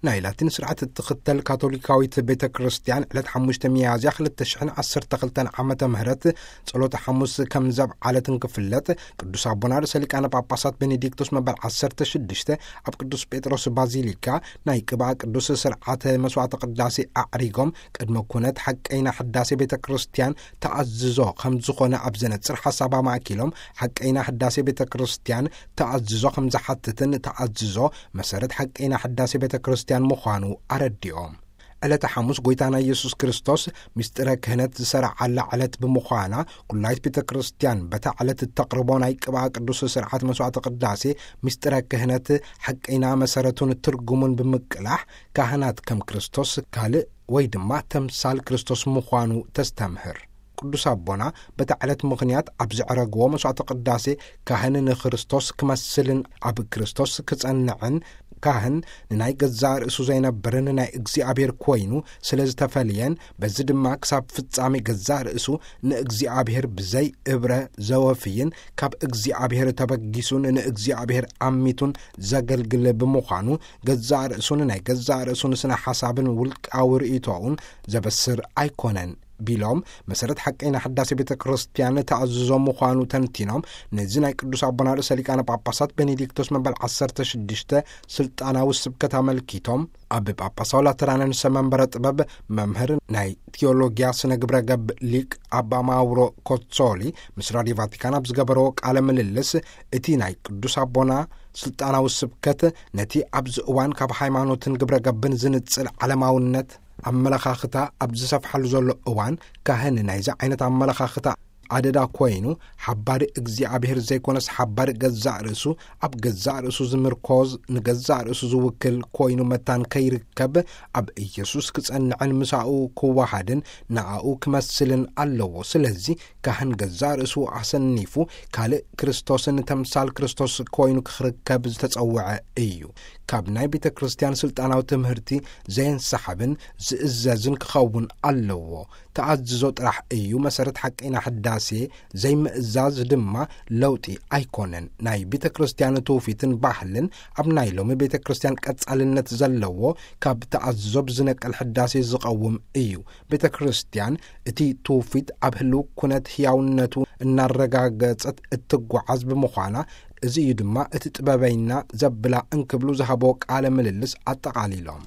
ናይ ላቲን ስርዓት እትኽተል ካቶሊካዊት ቤተ ክርስቲያን ዕለት ሓሙሽተ ሚያዝያ ክልተ ሽሕን ዓሰርተ ክልተን ዓመተ ምህረት ጸሎተ ሓሙስ ከም ዘብዓለት እንክፍለጥ፣ ቅዱስ ኣቦና ርእሰ ሊቃነ ጳጳሳት ቤኔዲክቶስ መበል ዓሰርተ ሽዱሽተ ኣብ ቅዱስ ጴጥሮስ ባዚሊካ ናይ ቅብኣ ቅዱስ ስርዓተ መስዋዕተ ቅዳሴ ኣዕሪጎም፣ ቅድመ ኩነት ሓቀይና ሕዳሴ ቤተ ክርስቲያን ተኣዝዞ ከም ዝኾነ ኣብ ዘነጽር ሓሳብ ኣማእኪሎም፣ ሓቀይና ሕዳሴ ቤተ ክርስቲያን ተኣዝዞ ከም ዝሓትትን ተኣዝዞ መሰረት ሓቀይና ሕዳሴ ቤተ ክርስቲያን ምዃኑ ኣረዲኦም። ዕለተ ሓሙስ ጎይታና ኢየሱስ ክርስቶስ ምስጢረ ክህነት ዝሰረዓላ ዕለት ብምዃና፣ ኩላይት ቤተ ክርስቲያን በታ ዕለት እተቕርቦ ናይ ቅብኣ ቅዱስ ስርዓት መስዋዕተ ቅዳሴ ምስጢረ ክህነት ሓቀይና መሰረቱን ትርጉሙን ብምቅላሕ፣ ካህናት ከም ክርስቶስ ካልእ ወይ ድማ ተምሳል ክርስቶስ ምዃኑ ተስተምህር። ቅዱስ ኣቦና በታ ዕለት ምኽንያት ኣብ ዘዕረግዎ መስዋዕተ ቅዳሴ፣ ካህን ንክርስቶስ ክመስልን ኣብ ክርስቶስ ክጸንዕን፣ ካህን ንናይ ገዛእ ርእሱ ዘይነብርን ናይ እግዚኣብሔር ኮይኑ ስለ ዝተፈልየን፣ በዚ ድማ ክሳብ ፍጻሜ ገዛእ ርእሱ ንእግዚኣብሔር ብዘይ እብረ ዘወፍይን ካብ እግዚኣብሔር ተበጊሱን ንእግዚኣብሔር ኣሚቱን ዘገልግል ብምዃኑ፣ ገዛእ ርእሱን ናይ ገዛእ ርእሱን ስነ ሓሳብን ውልቃዊ ርእይቶኡን ዘበስር ኣይኮነን ቢሎም፣ መሰረት ሓቀይና ሕዳሴ ቤተ ክርስቲያን ተኣዝዞ ምዃኑ ተንቲኖም፣ ነዚ ናይ ቅዱስ ኣቦና ርእሰ ሊቃነ ጳጳሳት ቤኔዲክቶስ መበል ዓሰርተ ሽዱሽተ ስልጣናዊ ስብከት ኣመልኪቶም፣ ኣብ ጳጳሳዊ ላተራንን ሰመንበረ ጥበብ መምህር ናይ ቲዮሎጊያ ስነ ግብረ ገብ ሊቅ ኣባ ማውሮ ኮትሶሊ ምስ ራዲዮ ቫቲካን ኣብ ዝገበረዎ ቃለ ምልልስ፣ እቲ ናይ ቅዱስ ኣቦና ስልጣናዊ ስብከት ነቲ ኣብዚ እዋን ካብ ሃይማኖትን ግብረ ገብን ዝንጽል ዓለማውነት ኣመለኻኽታ ኣብ ዝሰፍሓሉ ዘሎ እዋን፣ ካህን ናይዚ ዓይነት ኣመለኻኽታ ኣደዳ ኮይኑ፣ ሓባሪ እግዚኣብሔር ዘይኮነስ ሓባሪ ገዛእ ርእሱ፣ ኣብ ገዛእ ርእሱ ዝምርኮዝ፣ ንገዛእ ርእሱ ዝውክል ኮይኑ መታን ከይርከብ፣ ኣብ ኢየሱስ ክጸንዕን ምሳኡ ክወሃድን ንኣኡ ክመስልን ኣለዎ። ስለዚ ካህን ገዛእ ርእሱ ኣሰኒፉ ካልእ ክርስቶስን ተምሳል ክርስቶስ ኮይኑ ክርከብ ዝተጸውዐ እዩ። ካብ ናይ ቤተ ክርስቲያን ስልጣናዊ ትምህርቲ ዘየንሰሓብን ዝእዘዝን ክኸውን ኣለዎ። ተኣዝዞ ጥራሕ እዩ መሰረት ሓቀይና ሕዳሴ፣ ዘይምእዛዝ ድማ ለውጢ ኣይኮነን። ናይ ቤተ ክርስቲያን ትውፊትን ባህልን ኣብ ናይ ሎሚ ቤተ ክርስቲያን ቀጻልነት ዘለዎ ካብ ተኣዝዞ ብዝነቅል ሕዳሴ ዝቐውም እዩ። ቤተ ክርስቲያን እቲ ትውፊት ኣብ ህልው ኩነት ህያውነቱ እናረጋገጸት እትጓዓዝ ብምዃና፣ እዚ እዩ ድማ እቲ ጥበበይና ዘብላ እንክብሉ ዝሃቦ ቃለ ምልልስ ኣጠቓሊሎም።